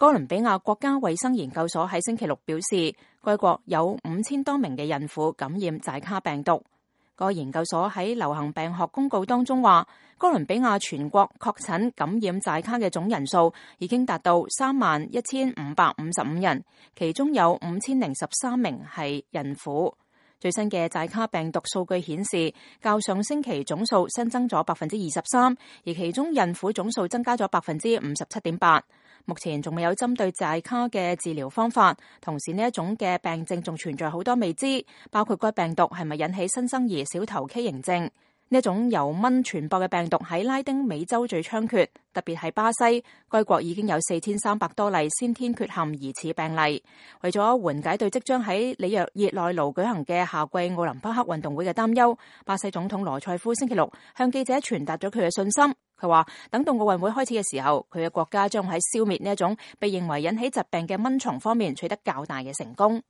哥倫比亞國家衛生研究所喺星期六表示，該國有5000多名嘅孕婦感染寨卡病毒。個研究所喺流行病學公告當中話，哥倫比亞全國確診感染寨卡嘅總人數已經達到31555人，其中有5013名係孕婦。最新嘅寨卡病毒數據顯示，較上星期總數新增咗23%，而其中孕婦總數增加咗57.8%。目前仲未有針對寨卡嘅治療方法，同時呢一種嘅病症仲存在好多未知，包括該病毒係咪引起新生兒小頭畸形症。呢一種由蚊傳播嘅病毒喺拉丁美洲最猖獗，特別係巴西，該國已經有4300多例先天缺陷疑似病例。為咗緩解對即將喺里約熱內盧舉行嘅夏季奧林匹克運動會嘅擔憂，巴西總統羅塞夫星期六向記者傳達咗佢嘅信心。佢話等到奧運會開始嘅時候，佢嘅國家將喺消滅呢一種被認為引起疾病嘅蚊蟲方面取得較大嘅成功。